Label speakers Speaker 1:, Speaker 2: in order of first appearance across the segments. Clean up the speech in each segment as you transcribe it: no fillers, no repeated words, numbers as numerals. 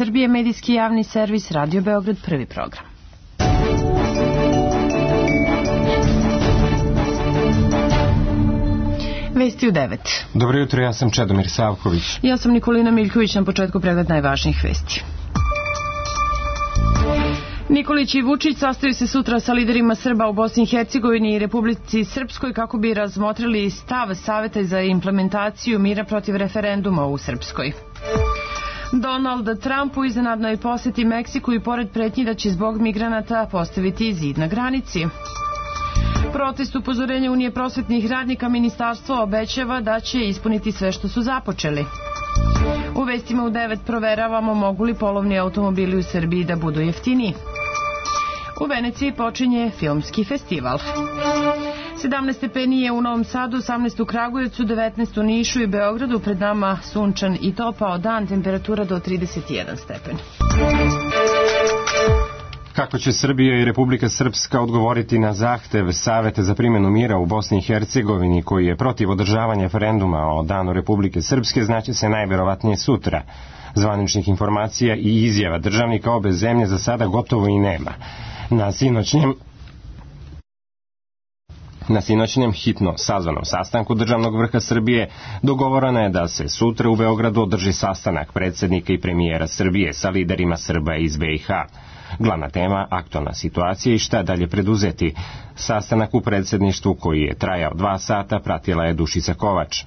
Speaker 1: Srbije, medijski javni servis Radio Beograd, prvi program. Vesti u 9.
Speaker 2: Dobro jutro, ja sam Čedomir Savković.
Speaker 1: Ja sam Nikolina Miljković, na početku pregled najvažnijih vesti. Nikolić i Vučić sastaju se sutra sa liderima Srba u Bosni i Hercegovini i Republici Srpskoj kako bi razmotrili stav Saveta za implementaciju mira protiv referenduma u Srpskoj. Donald Trump u iznenadnoj poseti Meksiku i pored pretnji da će zbog migranata postaviti zid na granici. Protest upozorenja Unije prosvetnih radnika, ministarstvo obećava da će ispuniti sve što su započeli. U vestima u 9 proveravamo mogu li polovni automobili u Srbiji da budu jeftiniji. U Veneciji počinje filmski festival. 17 stepeni je u Novom Sadu, 18 u Kragujevcu, 19 u Nišu i Beogradu, pred nama sunčan i topao dan, temperatura do 31 stepen.
Speaker 2: Kako će Srbija i Republika Srpska odgovoriti na zahtev Saveta za primjenu mira u Bosni i Hercegovini koji je protiv održavanja referenduma o Danu Republike Srpske znaće se najverovatnije sutra. Zvaničnih informacija i izjava državnika obe zemlje za sada gotovo i nema. Na sinoćnjem hitno sazvanom sastanku državnog vrha Srbije dogovoreno je da se sutra u Beogradu održi sastanak predsjednika i premijera Srbije sa liderima Srba iz BiH. Glavna tema, aktualna situacija i šta dalje preduzeti. Sastanak u predsjedništvu koji je trajao 2 sata pratila je Dušica Kovač.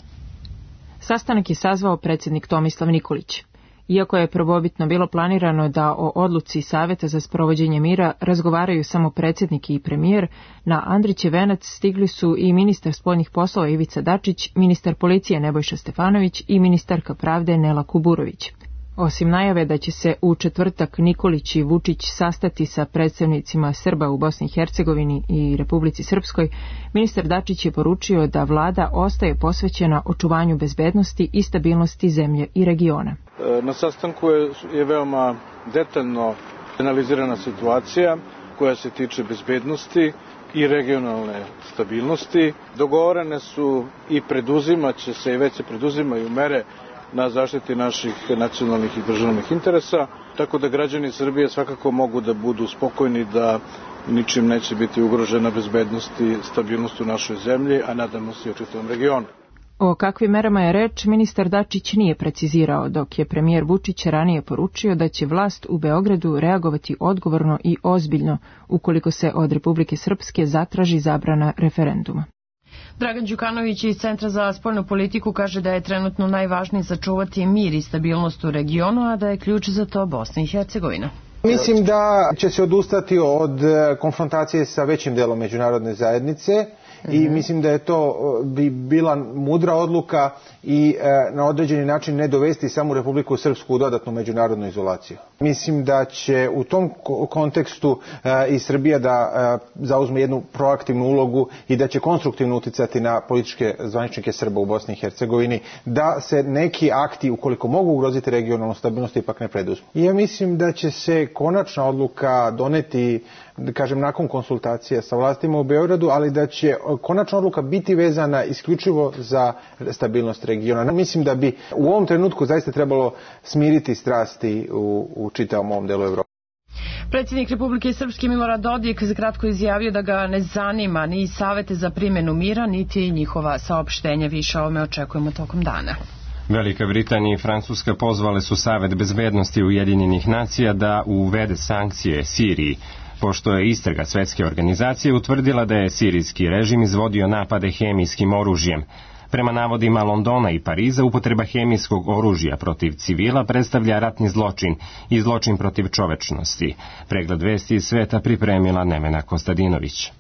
Speaker 3: Sastanak je sazvao predsjednik Tomislav Nikolić. Iako je prvobitno bilo planirano da o odluci Saveta za sprovođenje mira razgovaraju samo predsjednik i premijer, na Andrićev venac stigli su i ministar spoljnih poslova Ivica Dačić, ministar policije Nebojša Stefanović i ministarka pravde Nela Kuburović. Osim najave da će se u četvrtak Nikolić i Vučić sastati sa predstavnicima Srba u Bosni i Hercegovini i Republici Srpskoj, ministar Dačić je poručio da vlada ostaje posvećena očuvanju bezbednosti i stabilnosti zemlje i regiona.
Speaker 4: Na sastanku je veoma detaljno analizirana situacija koja se tiče bezbednosti i regionalne stabilnosti. Dogovorene su i preduzimaće se i već se preduzimaju mere na zaštiti naših nacionalnih i državnih interesa, tako da građani Srbije svakako mogu da budu spokojni da ničim neće biti ugrožena bezbednost i stabilnost u našoj zemlji, a nadamo se i u čitavom regionu.
Speaker 3: O kakvim merama je reč, ministar Dačić nije precizirao, dok je premijer Vučić ranije poručio da će vlast u Beogradu reagovati odgovorno i ozbiljno ukoliko se od Republike Srpske zatraži zabrana referenduma.
Speaker 1: Dragan Đukanović iz Centra za spoljnu politiku kaže da je trenutno najvažnije sačuvati mir i stabilnost u regionu, a da je ključ za to Bosna i Hercegovina.
Speaker 5: Mislim da će se odustati od konfrontacije sa većim delom međunarodne zajednice i mislim da je to bi bila mudra odluka i na određeni način ne dovesti samu Republiku Srpsku u dodatnu međunarodnu izolaciju. Mislim da će u tom kontekstu i Srbija da zauzme jednu proaktivnu ulogu i da će konstruktivno uticati na političke zvaničnike Srba u Bosni i Hercegovini da se neki akti, ukoliko mogu ugroziti regionalnu stabilnost, ipak ne preduzmu. I ja mislim da će se konačna odluka doneti, da kažem, nakon konsultacija sa vlastima u Beogradu, ali da će konačna odluka biti vezana isključivo za stabilnost regiona. Mislim da bi u ovom trenutku zaista trebalo smiriti strasti u čitavom ovom delu Evrope.
Speaker 1: Predsjednik Republike Srpske Milorad Dodik kratko izjavio da ga ne zanima ni savete za primjenu mira, niti njihova saopštenja. Više o ovome očekujemo tokom dana.
Speaker 2: Velika Britanija i Francuska pozvale su Savet bezbednosti Ujedinjenih nacija da uvede sankcije Siriji, pošto je istraga Svetske organizacije utvrdila da je sirijski režim izvodio napade hemijskim oružjem. Prema navodima Londona i Pariza, upotreba hemijskog oružja protiv civila predstavlja ratni zločin i zločin protiv čovečnosti. Pregled vesti iz sveta pripremila Nevena Kostadinović.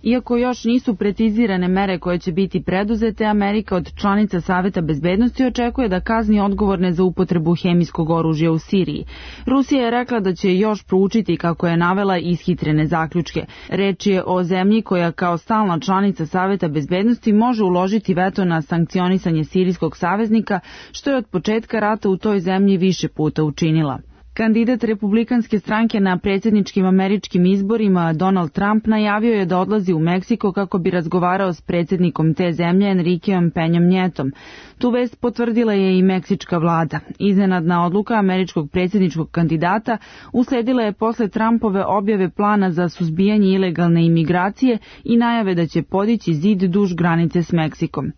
Speaker 6: Iako još nisu precizirane mere koje će biti preduzete, Amerika od članica Saveta bezbednosti očekuje da kazni odgovorne za upotrebu hemijskog oružja u Siriji. Rusija je rekla da će još proučiti, kako je navela, ishitrene zaključke. Reč je o zemlji koja kao stalna članica Saveta bezbednosti može uložiti veto na sankcionisanje sirijskog saveznika, što je od početka rata u toj zemlji više puta učinila. Kandidat republikanske stranke na predsjedničkim američkim izborima Donald Trump najavio je da odlazi u Meksiko kako bi razgovarao s predsjednikom te zemlje Enriqueom Peñom Nietom. Tu vest potvrdila je i meksička vlada. Iznenadna odluka američkog predsjedničkog kandidata usledila je posle Trumpove objave plana za suzbijanje ilegalne imigracije i najave da će podići zid duž granice s Meksikom.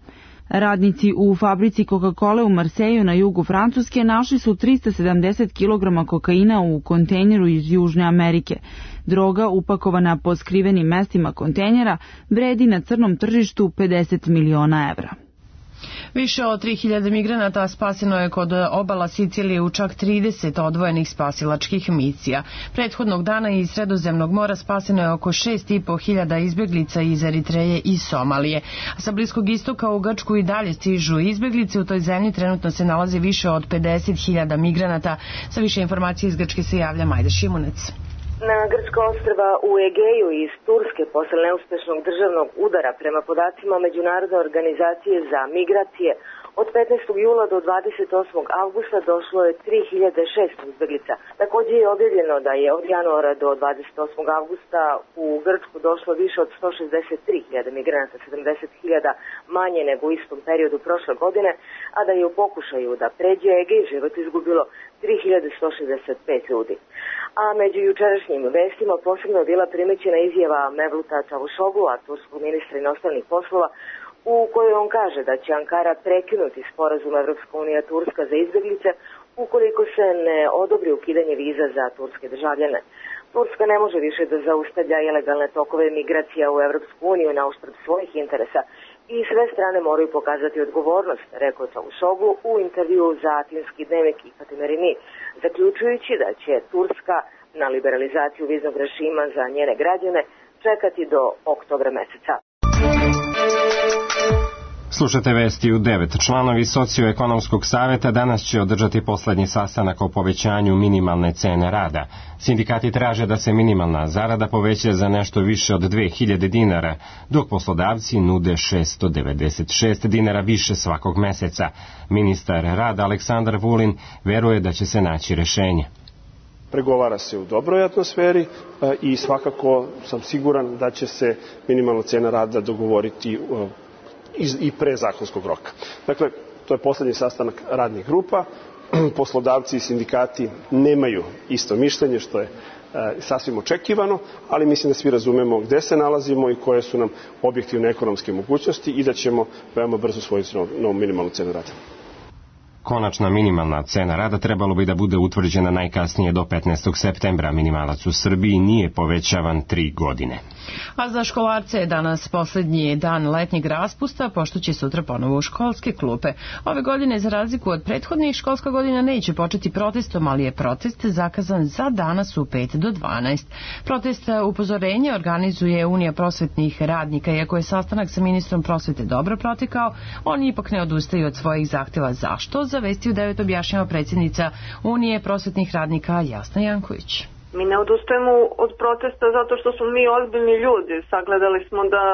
Speaker 6: Radnici u fabrici Coca-Cola u Marseju na jugu Francuske našli su 370 kg kokaina u kontejneru iz Južne Amerike. Droga upakovana po skrivenim mestima kontejnera vredi na crnom tržištu 50 miliona evra.
Speaker 1: Više od 3000 migranata spaseno je kod obala Sicilije u čak 30 odvojenih spasilačkih misija. Prethodnog dana iz Sredozemnog mora spaseno je oko 6500 izbjeglica iz Eritreje i Somalije. A sa Bliskog istoka u Grčku i dalje stižu izbjeglice. U toj zemlji trenutno se nalazi više od 50.000 migranata. Sa više informacije iz Grčke se javlja Majda Šimunec.
Speaker 7: Na grčka ostrva u Egeju iz Turske posle neuspešnog državnog udara prema podacima Međunarodne organizacije za migracije od 15. jula do 28. avgusta došlo je 3006 izbjeglica. Također je objavljeno da je od januara do 28. avgusta u Grčku došlo više od 163.000 migranata, 70.000 manje nego u istom periodu prošle godine, a da je u pokušaju da pređe Egej život izgubilo 3165 ljudi. A među jučerašnjim vestima posebno je bila primećena izjava Mevluta Čavuşoglu'a, turskog ministra inostranih poslova, u kojoj on kaže da će Ankara prekinuti sporazum Evropska unija Turska za izbjeglice ukoliko se ne odobri ukidanje viza za turske državljane. Turska ne može više da zaustavlja ilegalne tokove migracija u Evropsku uniju na uštrb svojih interesa i sve strane moraju pokazati odgovornost, rekao Čavuşoglu u intervjuu za atinski dnevnik Ifatimerini, zaključujući da će Turska na liberalizaciju viznog režima za njene građane čekati do oktobra meseca.
Speaker 2: Slušate vesti u 9. Članovi Socioekonomskog saveta danas će održati poslednji sastanak o povećanju minimalne cene rada. Sindikati traže da se minimalna zarada poveća za nešto više od 2000 dinara, dok poslodavci nude 696 dinara više svakog meseca. Ministar rada Aleksandar Vulin veruje da će se naći rešenje.
Speaker 8: Pregovara se u dobroj atmosferi i svakako sam siguran da će se minimalna cena rada dogovoriti i pre zakonskog roka. Dakle, to je poslednji sastanak radnih grupa. Poslodavci i sindikati nemaju isto mišljenje, što je sasvim očekivano, ali mislim da svi razumemo gde se nalazimo i koje su nam objektivne ekonomske mogućnosti i da ćemo veoma brzo usvojiti novu minimalnu cenu rada.
Speaker 2: Konačna minimalna cena rada trebalo bi da bude utvrđena najkasnije do 15. septembra. Minimalac u Srbiji nije povećavan 3 godine.
Speaker 1: A za školarce je danas poslednji dan letnjeg raspusta, pošto će sutra ponovo u školske klupe. Ove godine, za razliku od prethodnih, školska godina neće početi protestom, ali je protest zakazan za danas u 5 do 12. Protest upozorenja organizuje Unija prosvetnih radnika. Iako je sastanak sa ministrom prosvete dobro protekao, oni ipak ne odustaju od svojih zahteva. Zašto? Za Vesti u 9 objašnjava predsjednica Unije prosvetnih radnika Jasna Janković.
Speaker 9: Mi ne odustajemo od protesta zato što smo mi ozbiljni ljudi. Sagledali smo da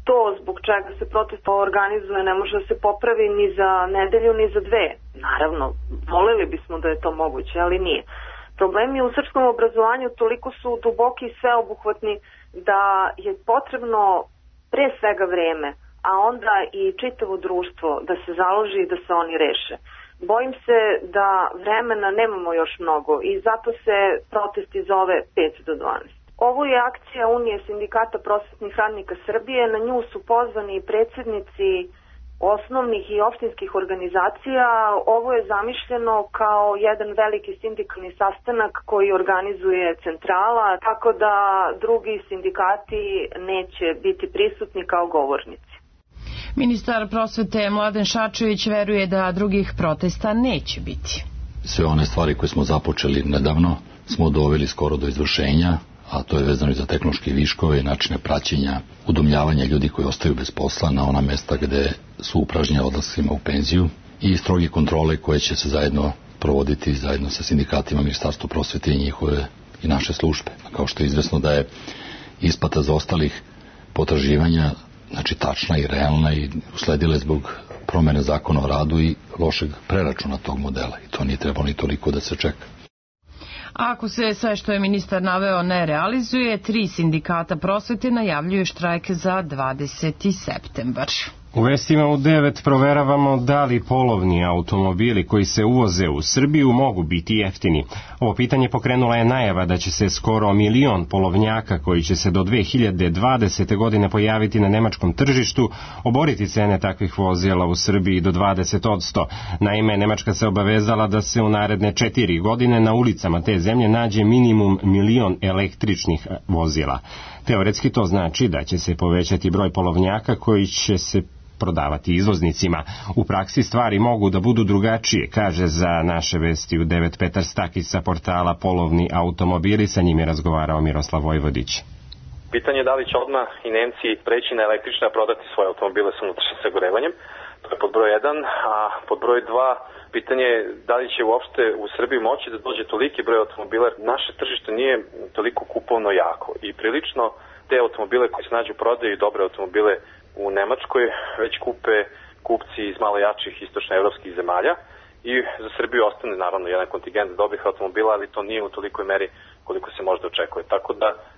Speaker 9: to zbog čega se protest organizuje ne može da se popravi ni za nedelju ni za 2. Naravno, voleli bismo da je to moguće, ali nije. Problemi u srpskom obrazovanju toliko su duboki i sveobuhvatni da je potrebno pre svega vreme, a onda i čitavo društvo da se založi i da se oni reše. Bojim se da vremena nemamo još mnogo i zato se protesti zove 5 do 12. Ovo je akcija Unije sindikata prosvetnih radnika Srbije. Na nju su pozvani predsjednici osnovnih i opštinskih organizacija. Ovo je zamišljeno kao jedan veliki sindikalni sastanak koji organizuje centrala, tako da drugi sindikati neće biti prisutni kao govornici.
Speaker 1: Ministar prosvete Mladen Šarčević veruje da drugih protesta neće biti.
Speaker 10: Sve one stvari koje smo započeli nedavno smo doveli skoro do izvršenja, a to je vezano i za tehnološke viškove, načine praćenja, udomljavanja ljudi koji ostaju bez posla na ona mesta gde su upražnjeni odlascima u penziju i stroge kontrole koje će se zajedno provoditi zajedno sa sindikatima, Ministarstvo prosvete i njihove i naše službe. Kao što je izvesno da je isplata zaostalih potraživanja znači tačna i realna i usledile zbog promene zakona o radu i lošeg preračuna tog modela. I to nije trebalo ni toliko da se čeka.
Speaker 1: A ako se sve što je ministar naveo ne realizuje, 3 sindikata prosvete najavljuju štrajk za 20. septembar.
Speaker 2: U vestima u 9 proveravamo da li polovni automobili koji se uvoze u Srbiju mogu biti jeftini. Ovo pitanje pokrenula je najava da će se skoro 1 milion polovnjaka koji će se do 2020. godine pojaviti na nemačkom tržištu oboriti cene takvih vozila u Srbiji do 20%. Naime, Nemačka se obavezala da se u naredne 4 godine na ulicama te zemlje nađe minimum 1 milion električnih vozila. Teoretski to znači da će se povećati broj polovnjaka koji će se prodavati izvoznicima. U praksi stvari mogu da budu drugačije, kaže za naše vesti u 9 Petar Stakis sa portala Polovni automobili, sa njim je razgovarao Miroslav Vojvodić.
Speaker 11: Pitanje je da li će odmah i Nemci preći na električne, a prodati svoje automobile sa unutrašnjim sagorevanjem. To je pod broj 1, a pod broj 2 pitanje je da li će uopšte u Srbiji moći da dođe toliki broj automobila. Naše tržište nije toliko kupovno jako i prilično te automobile koji se nađu u prodaju i dobre automobile u Nemačkoj već kupe kupci iz malo jačih istočnoevropskih zemalja i za Srbiju ostane naravno jedan kontingent dobrih automobila, ali to nije u tolikoj meri koliko se možda očekuje. Tako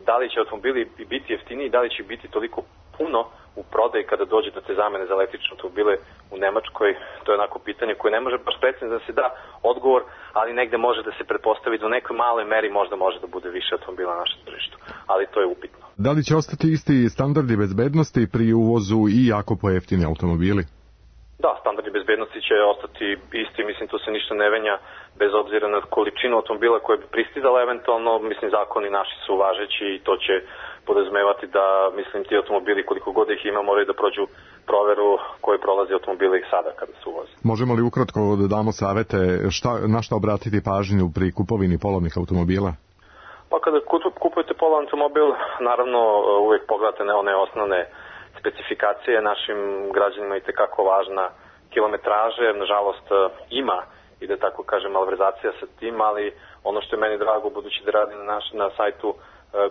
Speaker 11: da li će automobili biti jeftiniji, da li će biti toliko puno u prodaji kada dođe do te zamene za električne automobile u Nemačkoj, to je onako pitanje koje ne može baš precizno da se da odgovor, ali negde može da se pretpostavi da u nekoj maloj meri možda može da bude više automobila na našem tržištu, ali to je upitno.
Speaker 12: Da li će ostati isti standardi bezbednosti pri uvozu i jako pojeftini automobili?
Speaker 11: Da, standardi bezbednosti će ostati isti, mislim tu se ništa ne menja bez obzira na količinu automobila koje bi pristizala eventualno, mislim zakoni naši su važeći i to će podrazumevati da, mislim, ti automobili koliko god ih ima moraju da prođu proveru koje prolazi automobile i sada kada se uvoze.
Speaker 12: Možemo li ukratko da damo savete na šta obratiti pažnju pri kupovini polovnih automobila?
Speaker 11: Pa kada kupujete polovan automobil, naravno uvijek pogledate one osnovne specifikacije, našim građanima je itekako važna kilometraže, nažalost ima i da tako kažem malverzacija sa tim, ali ono što je meni drago budući da radim na sajtu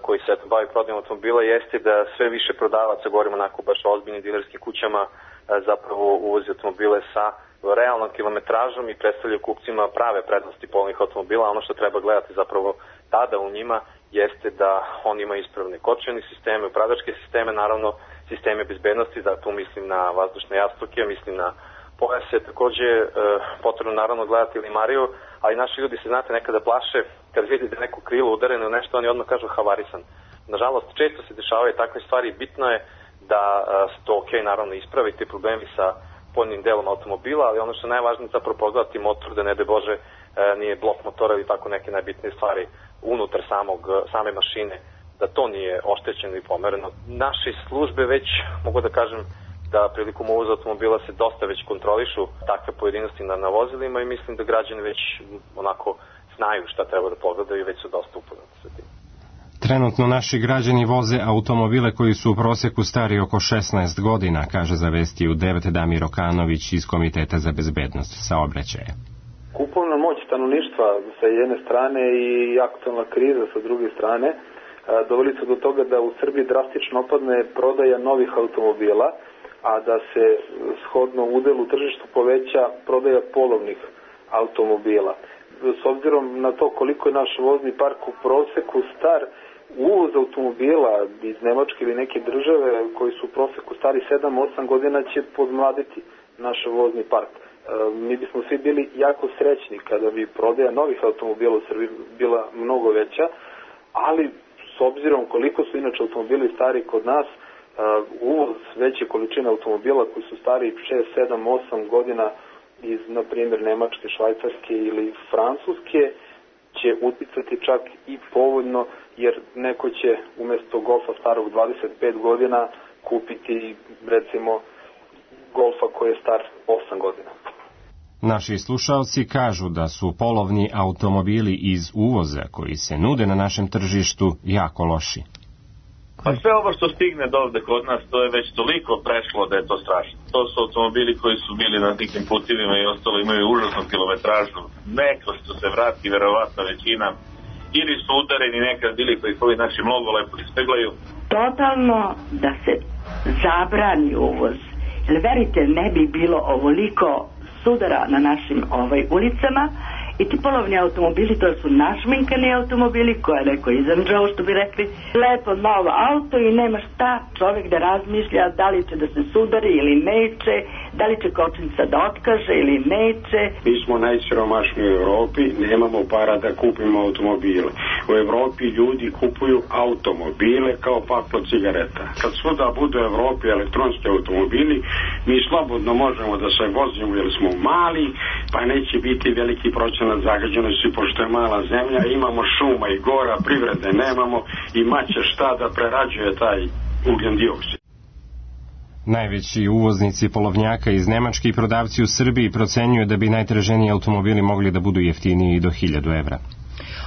Speaker 11: koji se bavi prodajom automobila jeste da sve više prodavaca, govorimo onako baš o ozbiljnim dilerskim kućama, zapravo uvozi automobile sa realnom kilometražom i predstavljaju kupcima prave prednosti polovnih automobila. Ono što treba gledati zapravo tada u njima jeste da oni imaju ispravne kočeni sisteme, upravljačke sisteme, naravno sisteme bezbednosti, da tu mislim na vazdušne jastuke, mislim na pojase, takođe potrebno naravno gledati limariju, ali naši ljudi se znate nekada plaše kad vidi da neko krilo udareno ili nešto, oni odmah kažu havarisan. Nažalost, često se dešavaju takve stvari, bitno je da se to naravno ispravi ti problemi sa poljnim delom automobila, ali ono što je najvažnije zapravo pogledati motor, da ne de Bože nije blok motora ili tako neke najbitnije stvari unutar same mašine, da to nije oštećeno i pomereno. Naše službe već, mogu da kažem, da prilikom uvoza automobila se dosta već kontrolišu takve pojedinosti na vozilima i mislim da građani već onako znaju šta treba da pogledaju i već su dosta upoznati sa tim.
Speaker 2: Trenutno naši građani voze automobile koji su u proseku stari oko 16 godina, kaže za vesti u 9 Damir Okanović iz Komiteta za bezbednost saobraćaja.
Speaker 13: Kupovna moć stanovništva sa jedne strane i aktualna kriza sa druge strane doveli su do toga da u Srbiji drastično opadne prodaja novih automobila, a da se shodno udelu u tržištu poveća prodaja polovnih automobila. S obzirom na to koliko je naš vozni park u proseku star, uvoz automobila iz Nemačke ili neke države koji su u proseku stari 7-8 godina će podmladiti naš vozni park. Mi bismo svi bili jako srećni kada bi prodaja novih automobila u Srbiji bila mnogo veća, ali s obzirom koliko su inače automobili stari kod nas, uvoz veće količine automobila koji su stari 6, 7, 8 godina iz, na primjer, Nemačke, Švajcarske ili Francuske će uticati čak i povoljno, jer neko će umjesto Golfa starog 25 godina kupiti, recimo, Golfa koji je star 8 godina.
Speaker 2: Naši slušalci kažu da su polovni automobili iz uvoza koji se nude na našem tržištu jako loši.
Speaker 14: Pa sve ovo što stigne do ovde kod nas, to je već toliko prešlo da je to strašno. To su automobili koji su bili na nekim putivima i ostalo imaju užasnu kilometražu. Neko što se vrati, verovatno većina, ili su udareni nekad bili koji ovi naši mnogo lepo ispeglaju.
Speaker 15: Totalno da se zabrani uvoz. Jer verite, ne bi bilo ovoliko sudara na našim ulicama I ti polovni automobili, to su našminkani automobili koje je neko izanđao, što bi rekli, lepo novo auto i nema šta čovjek da razmišlja da li će da se sudari ili neće, da li će kočnica da otkaže ili neće.
Speaker 16: Mi smo najsiromašniji u Evropi, nemamo para da kupimo automobile. U Evropi ljudi kupuju automobile kao paklo cigareta. Kad svuda budu u Evropi elektronski automobili, mi slobodno možemo da se vozimo jer smo mali, pa neće biti veliki procenat zagađenosti pošto je mala zemlja, imamo šuma i gora, privrede nemamo i maće šta da prerađuje taj ugljen dioksid.
Speaker 2: Najveći uvoznici polovnjaka iz Nemačke i prodavci u Srbiji procenjuju da bi najtraženiji automobili mogli da budu jeftiniji do 1000 evra.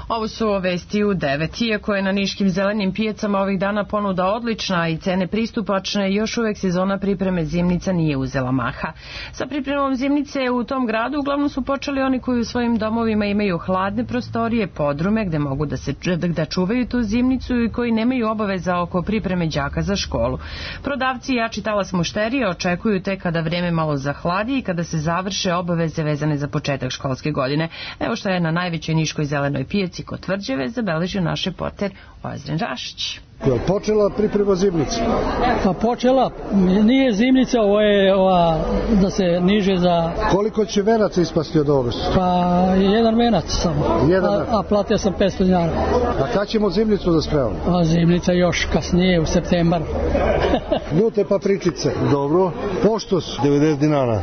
Speaker 1: Ovo su vesti u 9. Iako je na niškim zelenim pijacama ovih dana ponuda odlična i cene pristupačne, još uvek sezona pripreme zimnica nije uzela maha. Sa pripremom zimnice u tom gradu uglavnom su počeli oni koji u svojim domovima imaju hladne prostorije, podrume gde mogu da čuvaju tu zimnicu i koji nemaju obaveza oko pripreme đaka za školu. Prodavci jači talas mušterije očekuju tek kada vreme malo zahladi i kada se završe obaveze vezane za početak školske godine. Evo što je na najvećoj niškoj zelenoj pijaci kod Tvrđave zabeležio naš reporter Ozren Rašić.
Speaker 17: Počela priprema zimnice?
Speaker 18: Pa počela, nije zimnica, ovo je da se niže za...
Speaker 17: Koliko će venaca ispasti od ovoga?
Speaker 18: Pa jedan venac samo, a platio sam 500 dinara.
Speaker 17: A kad ćemo zimnicu da spremamo?
Speaker 18: A zimnica još kasnije, u septembar.
Speaker 17: Ljute papričice.
Speaker 19: Dobro.
Speaker 17: Pošto su?
Speaker 19: 90 dinara.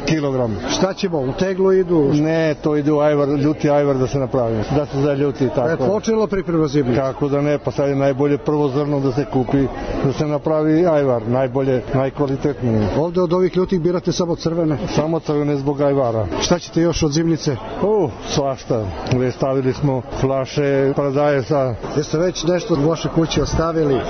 Speaker 17: Kilogram. Šta ćemo, u teglu idu?
Speaker 19: Ne, to ide u ajvar, ljuti ajvar da se napravi, da se zaljuti tako.
Speaker 17: Počela priprema zimnice?
Speaker 19: Kako da ne, pa sad je najbolje prvo zrno da se kupi, da se napravi ajvar, najbolje, najkvalitetnije.
Speaker 17: Ovde od ovih ljutih birate samo crvene?
Speaker 19: Samo crvene zbog ajvara.
Speaker 17: Šta ćete još od zimnice?
Speaker 19: Svašta. Stavili smo flaše paradajza.
Speaker 17: Jeste već nešto od vaše kuće ostavili?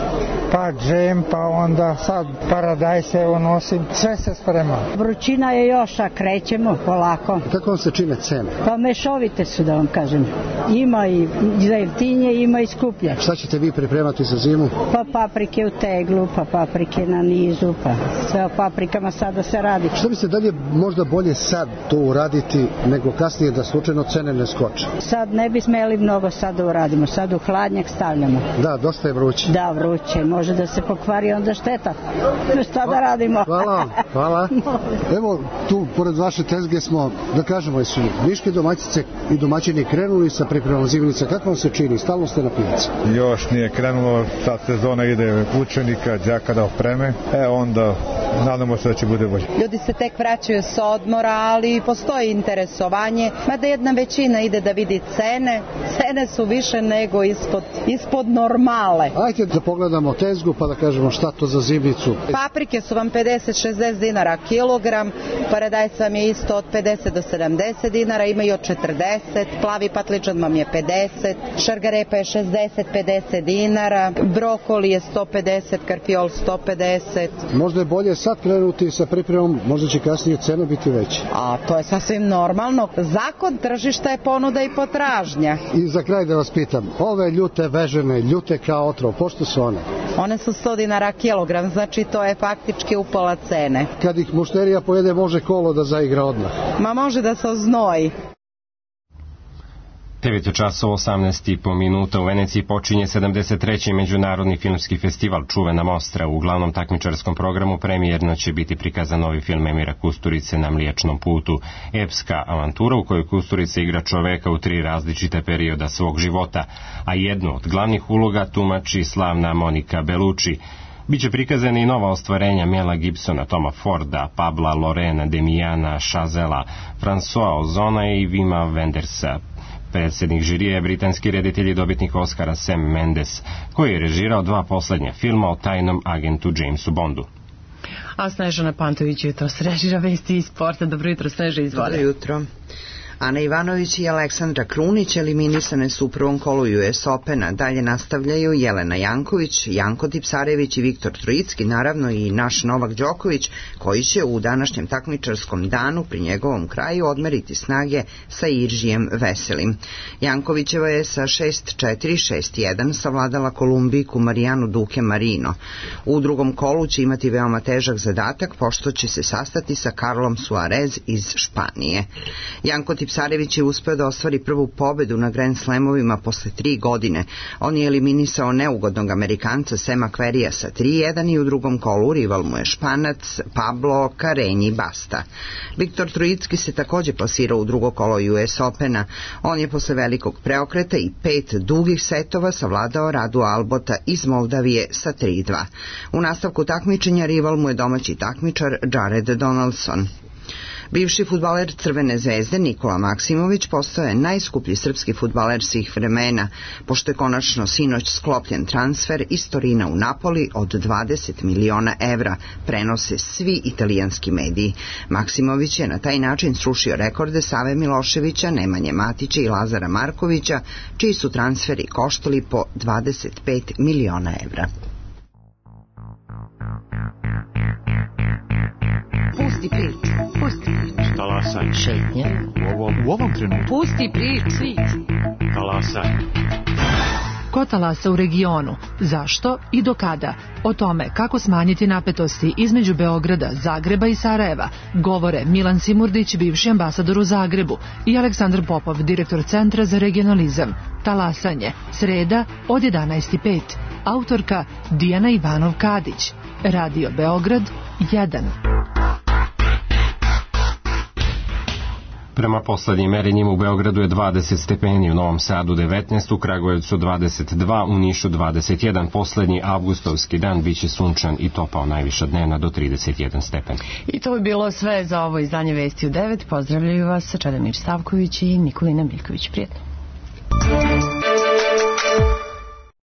Speaker 20: Pa džem, pa onda sad paradajze nosim, sve se sprema.
Speaker 21: Vrućina je još, a krećemo polako.
Speaker 17: Kako vam se čine cene?
Speaker 21: Pa mešovite su, da vam kažem. Ima i za jeftinje, ima i skuplje.
Speaker 17: Šta ćete vi pripremati za zimu?
Speaker 21: Pa paprike u teglu, pa paprike na nizu, pa sve o paprikama sada se radi.
Speaker 17: Šta mislite, da li je možda bolje sad to uraditi nego kasnije da slučajno cene ne skoče?
Speaker 21: Sad ne bi smeli mnogo sad da uradimo, sad u hladnjak stavljamo.
Speaker 17: Da, dosta je vruće.
Speaker 21: Da, vruće, može da se pokvari onda šteta. Šta da radimo?
Speaker 17: Hvala. Evo, tu pored vaše tezge smo, da kažemo, su niške domaćice i domaćini krenuli sa pripremom zimnice. Kako vam se čini? Stalno ste na pijaci?
Speaker 22: Još nije krenulo, sad sezona ide učenika, đaka da opreme, onda nadamo se da će bude bolje.
Speaker 23: Ljudi se tek vraćaju s odmora, ali postoji interesovanje, mada jedna većina ide da vidi cene. Cene su više nego ispod normale.
Speaker 17: Ajde da pogledamo tezgu pa da kažemo šta to za zimnicu.
Speaker 23: Paprike su vam 50-60 dinara kilogram, paradajz vam je isto od 50 do 70 dinara, ima i od 40, plavi patličan vam je 50, šargarepa je 60-50 dinara, brokoli je 150, karfiol 150.
Speaker 17: Možda je bolje sad krenuti sa pripremom, možda će kasnije cena biti veća.
Speaker 23: A to je sasvim normalno. Zakon tržišta je ponuda i potražnja.
Speaker 17: I za kraj da vas pitam, ove ljute vežene, ljute kao otrov, pošto su one?
Speaker 23: One su 100 dinara kilogram, znači to je faktički upola cene.
Speaker 17: Kad ih mušterija pojede, može kolo da zaigra odmah?
Speaker 23: Ma može da se oznoji.
Speaker 2: 9 časova 18,5 minuta u Veneciji počinje 73. Međunarodni filmski festival Čuvena Mostra. U glavnom takmičarskom programu premijerno će biti prikazan novi film Emira Kusturice Na Mliječnom putu. Epska avantura u kojoj Kusturica igra čoveka u 3 različite perioda svog života, a jednu od glavnih uloga tumači slavna Monika Bellucci. Biće prikazane i nova ostvarenja Mela Gibsona, Toma Forda, Pabla Lorena, Demiana Chazela, François Ozona i Wima Wendersa. Predsjednik žirije je britanski reditelj i dobitnik Oscara Sam Mendes, koji je režirao 2 poslednja filma o tajnom agentu Jamesu Bondu.
Speaker 1: A Snežana Pantović jutros režira vesti iz sporta. Dobro jutro, Sneža, izvoli.
Speaker 24: Dobro jutro. Ana Ivanović i Aleksandra Krunić eliminisane su u prvom kolu US Opena. Dalje nastavljaju Jelena Janković, Janko Tipsarević i Viktor Trojicki, naravno i naš Novak Đoković, koji će u današnjem takmičarskom danu pri njegovom kraju odmeriti snage sa Iržijem Veselim. Jankovićeva je sa 6-4, 6-1 savladala Kolumbijku Marijanu Duke Marino. U drugom kolu će imati veoma težak zadatak, pošto će se sastati sa Carlom Suarez iz Španije. Janko Tipsarević Tipsarević je uspeo da ostvari prvu pobedu na Grand Slamovima posle 3 godine. On je eliminisao neugodnog Amerikanca Sema Querreyja sa 3-1 i u drugom kolu rival mu je Španac Pablo Carreño Busta. Viktor Trojicki se takođe plasirao u drugo kolo US Opena. On je posle velikog preokreta i 5 dugih setova savladao Radu Albota iz Moldavije sa 3-2. U nastavku takmičenja rival mu je domaći takmičar Jared Donaldson. Bivši fudbaler Crvene zvezde Nikola Maksimović postao je najskuplji srpski fudbaler svih vremena, pošto je konačno sinoć sklopljen transfer iz Torina u Napoli od 20 miliona evra, prenose svi italijanski mediji. Maksimović je na taj način srušio rekorde Save Miloševića, Nemanje Matića i Lazara Markovića, čiji su transferi koštali po 25 miliona evra.
Speaker 3: Pusti priču, pusti priču.
Speaker 4: Talasaj.
Speaker 3: Šetnje.
Speaker 4: U ovom trenutku.
Speaker 3: Pusti priču.
Speaker 4: Talasaj.
Speaker 5: Ko talasa u regionu? Zašto i do kada? O tome kako smanjiti napetosti između Beograda, Zagreba i Sarajeva govore Milan Simurdić, bivši ambasador u Zagrebu, i Aleksandar Popov, direktor Centra za regionalizam. Talasanje, sreda od 11:05. Autorka Dijana Ivanov-Kadić. Radio Beograd 1.
Speaker 2: Prema poslednjim merenjima u Beogradu je 20 stepeni, u Novom Sadu 19, u Kragujevcu 22, u Nišu 21. Poslednji avgustovski dan biće sunčan i topao, najviša dnevna do 31 stepen.
Speaker 1: I to bi bilo sve za ovo izdanje Vesti u 9. Pozdravljaju vas Čedomir Stavković i Nikolina Miljković. Prijetno.